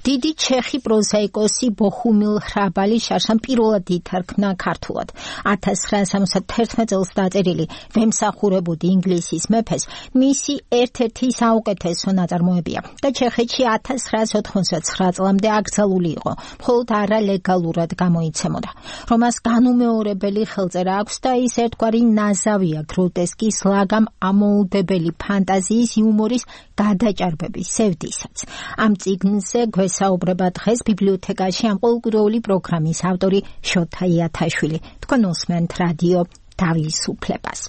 დიდი ჩეხი პროზაიკოსი ბოჰუმილ ხრაბალი შარშან პირველად ითარგმნა ქართულად. 1971 წელს დაწერილი ვემსახურებოდი ინგლისის მეფეს მისი ერთ-ერთი საუკეთესო ნაწარმოებია და ჩეხეთში 1989 წლამდე აკრძალული იყო, მხოლოდ არალეგალურად გამოიცემოდა. რომას განუმეორებელი ხელწერა აქვს და ის ერთგვარი ნაზავია გროტესკის, ლაგამ ამოუდებელი ფანტაზიის, იუმორის გადაჭარბების სევდისაც. ამ წიგნზე გვესაუბრება დღეს ბიბლიოთეკაში ამ ყოველკვირეული პროგრამის ავტორი შოთა იათაშვილი. თქვენ უსმენთ რადიო თავისუფლებას.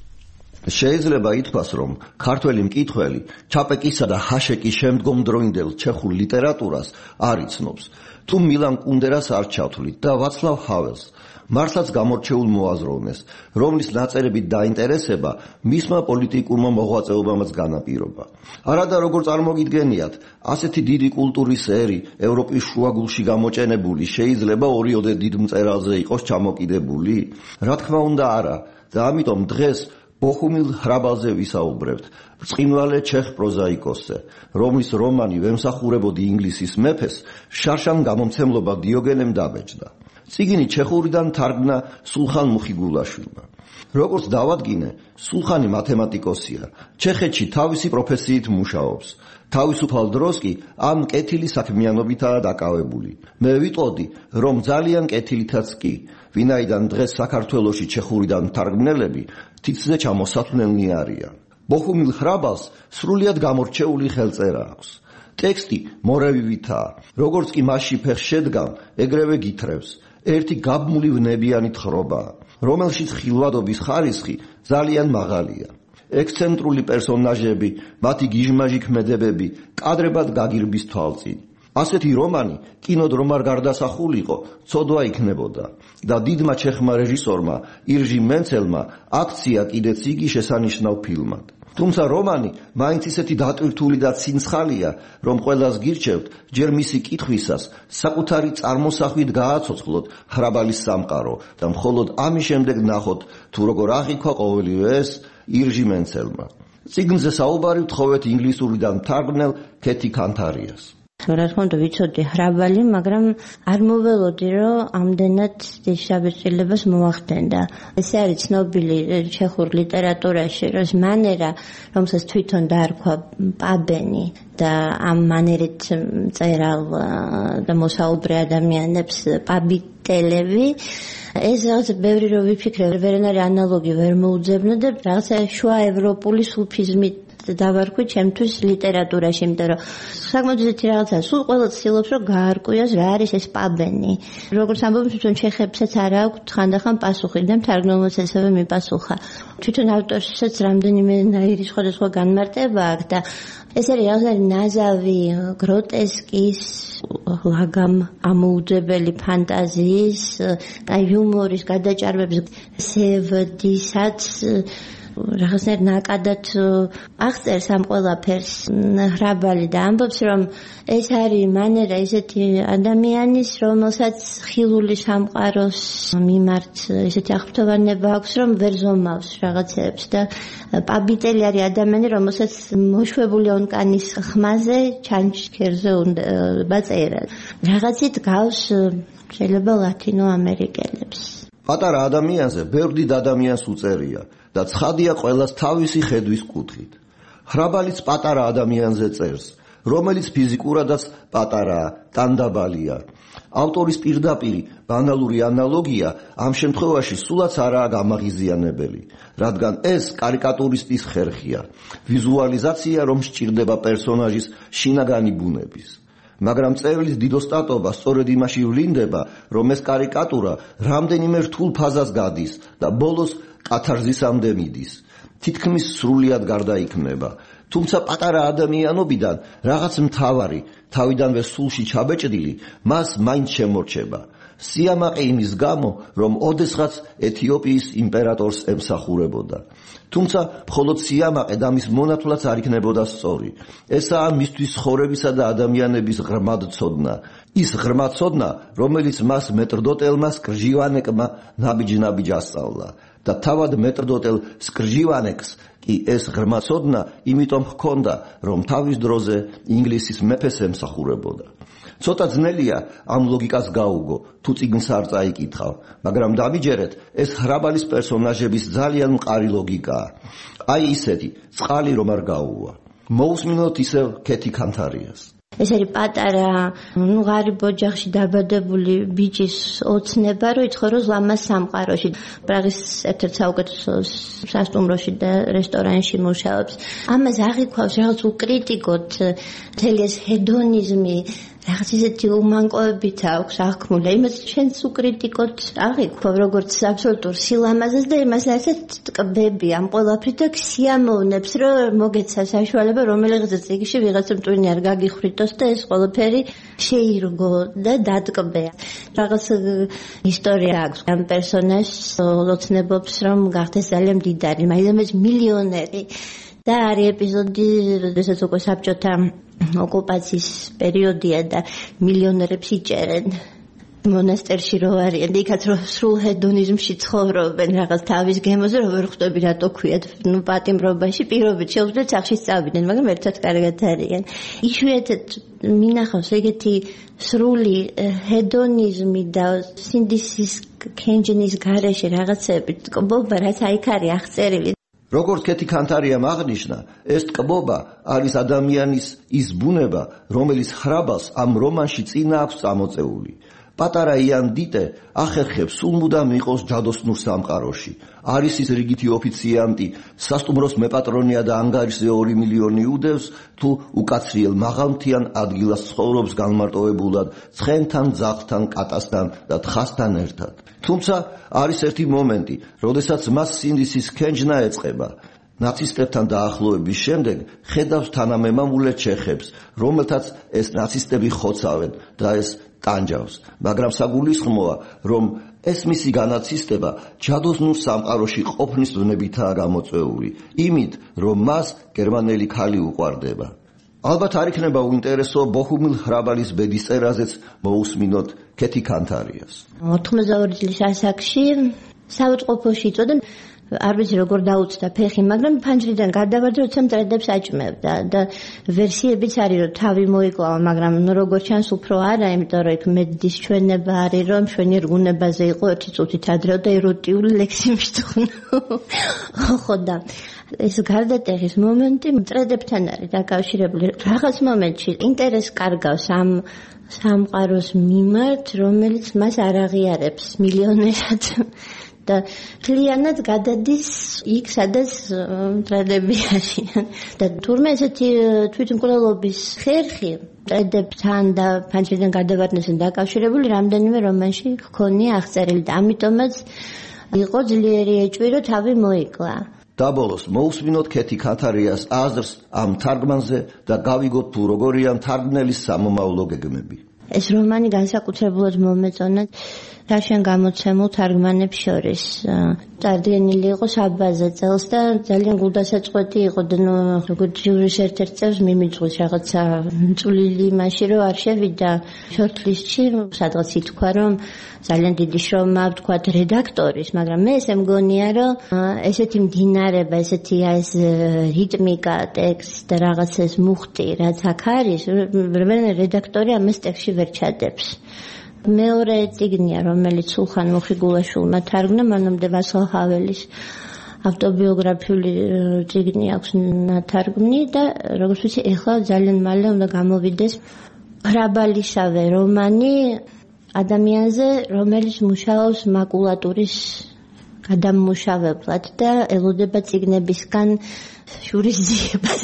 შეიძლება ითქვას, რომ ქართველი მკითხველი ჩაპეკისა და ჰაშეკის შემდგომდროინდელ ჩეხურ ლიტერატურას არ იცნობს. თუ მილან კუნდერას არ ჩავთვლით და ვაცლავ ჰაველს, მართლაც გამორჩეულ მოაზროვნეს, რომლის ნაწერებით დაინტერესება მისმა პოლიტიკურმა მოღვაწეობამაც განაპირობა. არადა როგორ წარმოგიდგენიათ, ასეთი დიდი კულტურის ერი ევროპის შუაგულში გამოჭენებული შეიძლება ორიოდე დიდ მწერალზე იყოს ჩამოკიდებული? რა თქმა უნდა არა, და ამიტომ დღეს ბოჰუმილ ხრაბალზე ვისაუბრებთ, ბრწყინვალე ჩეხ პროზაიკოსზე, რომლის რომანი ვემსახურებოდი ინგლისის მეფეს შარშან გამომცემლობა დიოგენემ დაბეჭდა. წიგნი ჩეხურიდან თარგმნა სულხან მუხიგულაშვილმა. როგორც დავადგინე, სულხანი მათემატიკოსია, ჩეხეთში თავისი პროფესიით მუშაობს. თავისუფალ დროს კი ამ კეთილი საქმიანობითაა დაკავებული. მე ვიტყოდი, რომ ძალიან კეთილითაც კი, ვინაიდან დღეს საქართველოში ჩეხურიდან თარგმნელები თითზე ჩამოსათვლელნი არიან. ბოჰუმილ ხრაბალს სრულიად გამორჩეული ხელწერა აქვს. ტექსტი მორევივითაა, როგორც კი მასში ფეხს შედგამ, ეგრევე გითხრევს. ერთი გაბმული ვნებიანი თხრობაა, რომელშიც ხილვადობის ხარისხი ძალიან მაღალია. ექსცენტრული პერსონაჟები, მათი გიჟმაჟი ქმედებები კადრებად გაგირბის თვალწინ. ასეთი რომანი კინოდ რომ არ გარდასახულიყო, ცოდვა იქნებოდა და დიდმა ჩეხმა რეჟისორმა ირჟი მენცელმა აქცია კიდეც იგი შესანიშნავ ფილმად. თუმცა რომანი მაინც ისეთი დატვირთული და ცინცხალია, რომ ყველას გირჩევთ ჯერ მისი კითხვისას საკუთარი წარმოსახვით გააცოცხლოთ ხრაბალის სამყარო და მხოლოდ ამის შემდეგ ნახოთ თუ როგორ აღიქვა ყოველივე ეს ირჟი მენცელმა. წიგნზე საუბარი ვთხოვეთ ინგლისურიდან თარგმნელ კეთი კანთარიას. რა თქმა უნდა ვიცოდი ხრაბალი, მაგრამ არ მოველოდი, რომ ამდენად დიდ შაბეჭდილებას მოახდენდა. ესე არის ცნობილი ჩეხურ ლიტერატურაში, რომ მანერა, რომელსაც თვითონ დაარქვა პაბენი და ამ მანერით მწერალ და მოსაუბრე ადამიანებს პაბიტელები, ეს რაღაც ბევრი რო ვიფიქრე, ვერანაირი ანალოგი ვერ მოუძებნა და რაღაცა შუა ევროპული სუფიზმით დავარქვი ჩემთვის ლიტერატურაში, იმიტომ რომ საკმაოდ ისეთი რაღაცა, სულ ყველა ცდილობს რომ გაარკვიოს რა არის ეს პაბენი. როგორც ამბობენ, თვითონ ჩეხებსაც არ აქვს ხანდახან პასუხი და მთარგმნელმაც ესევე მიპასუხა. თვითონ ავტორსაც რამდენიმე ნაირი სხვადასხვა განმარტება აქვს და ეს არის რაღაცა ნაზავი გროტესკის, ლაგამ ამოუდებელი ფანტაზიის და იუმორის გადაჭარბების სევდისაც რაღაცნაირ ნაკადად აღწერს ამ ყველაფერს ხრაბალი და ამბობს, რომ ეს არის მანერა ისეთი ადამიანის, რომელსაც ხილული სამყაროს მიმართ ისეთი აღფრთოვანება აქვს, რომ ვერ ზომავს რაღაცებს და პაბიტელი არის ადამიანი, რომელსაც მოშვებული ონკანის ხმაზე ჩანჩქერზე უნდა წერა. რაღაცით გავს შეიძლება ლათინო ამერიკელებს. პატარა ადამიანზე ბევრ დიდ ადამიანს უწერია და ცხადია ყველას თავისი ხედვის კუთხით. ხრაბალიც პატარა ადამიანზე წერს, რომელიც ფიზიკურადაც პატარაა, ტანდაბალია. ავტორის პირდაპირი ბანალური ანალოგია ამ შემთხვევაში სულაც არაა გამაღიზიანებელი, რადგან ეს კარიკატურისტის ხერხია, ვიზუალიზაცია, რომ სჭირდება პერსონაჟის შინაგანი ბუნების. მაგრამ წერლის დიდოსტატობა სწორედ იმაში ვლინდება, რომ ეს კარიკატურა რამდენიმე რთულ ფაზას გადის და ბოლოს კათარზისამდე მიდის. თითქმის სრულიად გარდაიქმნება. თუმცა პატარა ადამიანობიდან რაღაც მთავარი, თავიდანვე სულში ჩაბეჭდილი, მას მაინც შემორჩება. სიამაყე იმის გამო, რომ ოდესღაც ეთიოპიის იმპერატორს ემსახურებოდა. თუმცა მხოლოდ სიამაყე და მის მონათვლაც არ იქნებოდა სწორი. ესაა მისთვის ცხოვრებისა და ადამიანების ღრმადცოდნა. ის ღრმადცოდნა, რომელიც მას მეტრდოტელმა სკრჟივანეკმა ნაბიჯ-ნაბიჯ ასწავლა. და თავად მეტრდოტელ სკრჟივანეკს კი ეს ღრმა ცოდნა იმიტომ ჰქონდა, რომ თავის დროზე ინგლისის მეფეს ემსახურებოდა. ცოტა ძნელია ამ ლოგიკას გაუგო, თუ წიგნს არ წაიკითხავ, მაგრამ დამიჯერეთ, ეს ხრაბალის პერსონაჟების ძალიან მყარი ლოგიკაა. აი ისეთი, წყალი რომ არ გაუვა. მოусმინოთ ისევ კეთი კანთარიას. ეს არის პატარა, ღარიბ ოჯახში დაბადებული ბიჭის ოცნება, რომ იცხოვროს ლამაზ სამყაროში. პრაღის ერთ-ერთ საუკეთესო სასტუმროში და რესტორანში მუშაობს. ამას აღიქვავს რაღაც უკრიტიკოთ, მთელი ეს ჰედონიზმი, რაღაც ისეთი უმანკოებით აქვს აღქმული. იმას ჩვენც უკრიტიკოთ აღიქვავ, როგორც აბსოლუტურ სილამაზეს და იმას ასეთ ტკბები ამ ყველაფრით და სიამოვნებს, რომ მოგეცა საშუალება, რომელიღაც წიგნში ვიღაცა მტვინი არ გაგიხრიტოს და ეს ყველაფერი შეირგო და დატკბე. რაღაც ისტორია აქვს ამ პერსონაჟს, ლოცნებობს, რომ გახდეს ძალიან მდიდარი, მაინც მილიონერი. და არის ეპიზოდი, როდესაც უკვე საბჭოთა ოკუპაციის პერიოდია და მილიონერებს იჭერენ მონასტერში რო არიან და იქაც რო სრულ ჰედონიზმში ცხოვრობენ რაღაც თავის გემოზე, რომ ვერ ხვდები რატო ქვიათ, პატიმრობაში პირობით შეუძლიათ სახში სწავიდნენ, მაგრამ ერთად კარგად არიან. იშვიათად მინახავს ეგეთი სრული ჰედონიზმი და სინდისის კენჯენის გარეშე რაღაცები ტკბობა, რაც აიქ არის აღწერილი. როგორც კეთი კანთარიამ აღნიშნა, ეს ტკბობა არის ადამიანის ის ბუნება, რომელიც ხრაბალს ამ რომანში წინა აქვს წამოწეული. პატარა იან დიტე ახერხებს სულ მუდამ იყოს ჯადოსნურ სამყაროში. არის ის რიგითი ოფიციანტი, სასტუმროს მეპატრონია და ანგარიშზე 2 მილიონი უდევს, თუ უკაცრიელ მაღალმთიან ადგილას ცხოვრობს განმარტოვებულად ცხენთან, ძაღლთან, კატასთან და თხასთან ერთად. თუმცა არის ერთი მომენტი, როდესაც მას სინდისის კენჯნა ეწყება. ნაცისტებთან დაახლოების შემდეგ ხედავს თანამემამულე ჩეხებს, რომელთაც ეს ნაცისტები ხოცავენ და ეს ტანჯავს, მაგრამ საგულისხმოა, რომ ეს მისი განაცისტება ჯადოსნურ სამყაროში ყოფნის დონებითაა გამოწვეული, იმით, რომ მას გერმანელი ქალი უყვარდება. ალბათ არ იქნება უინტერესო ბოჰუმილ ხრაბალის ბედის წერაზეც მოусმინოთ კეთი კანთარიას. 82 წლის ასაკში საავადმყოფოში იწოდა, არ ვიცი როგორ დაუწდა ფეხი, მაგრამ ფანჯრიდან გადავარდა, როცა მტრედებს აჭმევდა და ვერსიებიც არის, რომ თავი მოიკლავა, მაგრამ როგორ ჩანს უფრო არა, იმიტომ რომ იქ მედდის ჩვენება არის, რომ ჩვენი რგუნებაზე იყო 1 წუთით ადრე და ეროტიული ლექსი მიშთხნა. ხო და ეს გარდატეხის მომენტი მტრედებთან არის დაკავშირებული. რაღაც მომენტში ინტერესს კარგავს ამ სამყაროს მიმართ, რომელიც მას არ აღიარებს მილიონერად. და კლიანად გადადის იქ, სადაც მტრედები არიან. და თურმე ესეთი თვითმკვლელობის ხერხი მტრედებთან და ფანჯრიდან გადავარდნასთან დაკავშირებული რამდენიმე რომანში ჰქონია აღწერილი და ამიტომაც იყო ძლიერი ეჭვი, რომ თავი მოიკლა. დაბოლოს მოусმინოთ კეთი კანთარიას აზრს ამ თარგმანზე და გავიგოთ თუ როგორია თარგმნელის სამომავლო გეგმები. ეს რომანი განსაკუთრებულად მომეწონა რაშენ გამოცემულ თარგმანებს შორის. წარდგენილი იყო საბაზე წელს და ძალიან გულდასაწყვეტი იყო და როგორც ჯურის ერთ-ერთ წელს მიმიძღვის რაღაცა წვლილი იმაში, რომ არ შევიდა შორტლისტში, სადღაც ითქვა, რომ ძალიან დიდი შრომა ვთქვათ რედაქტორის, მაგრამ მე ესე მგონია, რომ ესეთი მდინარება, ესეთი ეს რიტმიკა, ტექსტ და რაღაც ეს მუხტი, რაც აქ არის, რედაქტორი ამას ტექსტში ვერ ჩადებს. მეორე წიგნია, რომელიც სულხან მუხიგულაშვილმა თარგმნა, მანამდე ვასილ ჰაველის ავტობიოგრაფიული წიგნი აქვს ნათარგმნი და როგორც ვიცი, ეხლა ძალიან მალე უნდა გამოვიდეს ხრაბალისავე რომანი ადამიანზე, რომელიც მუშაობს მაკულატურის გადამმუშავებლად და ელოდება წიგნებისგან შურისძიებას.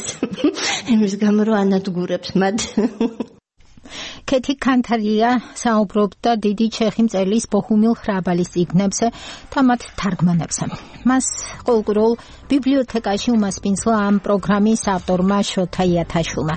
იმის გამო, რომ ანადგურებს მათ. კეთი კანთარია საუბრობდა დიდი ჩეხი მწერლის ბოჰუმილ ხრაბალის წიგნებზე და მათ თარგმანებზე. მას ყოველდღიურ ბიბლიოთეკაში უმასპინძლა ამ პროგრამის ავტორმა შოთა იათაშვილმა.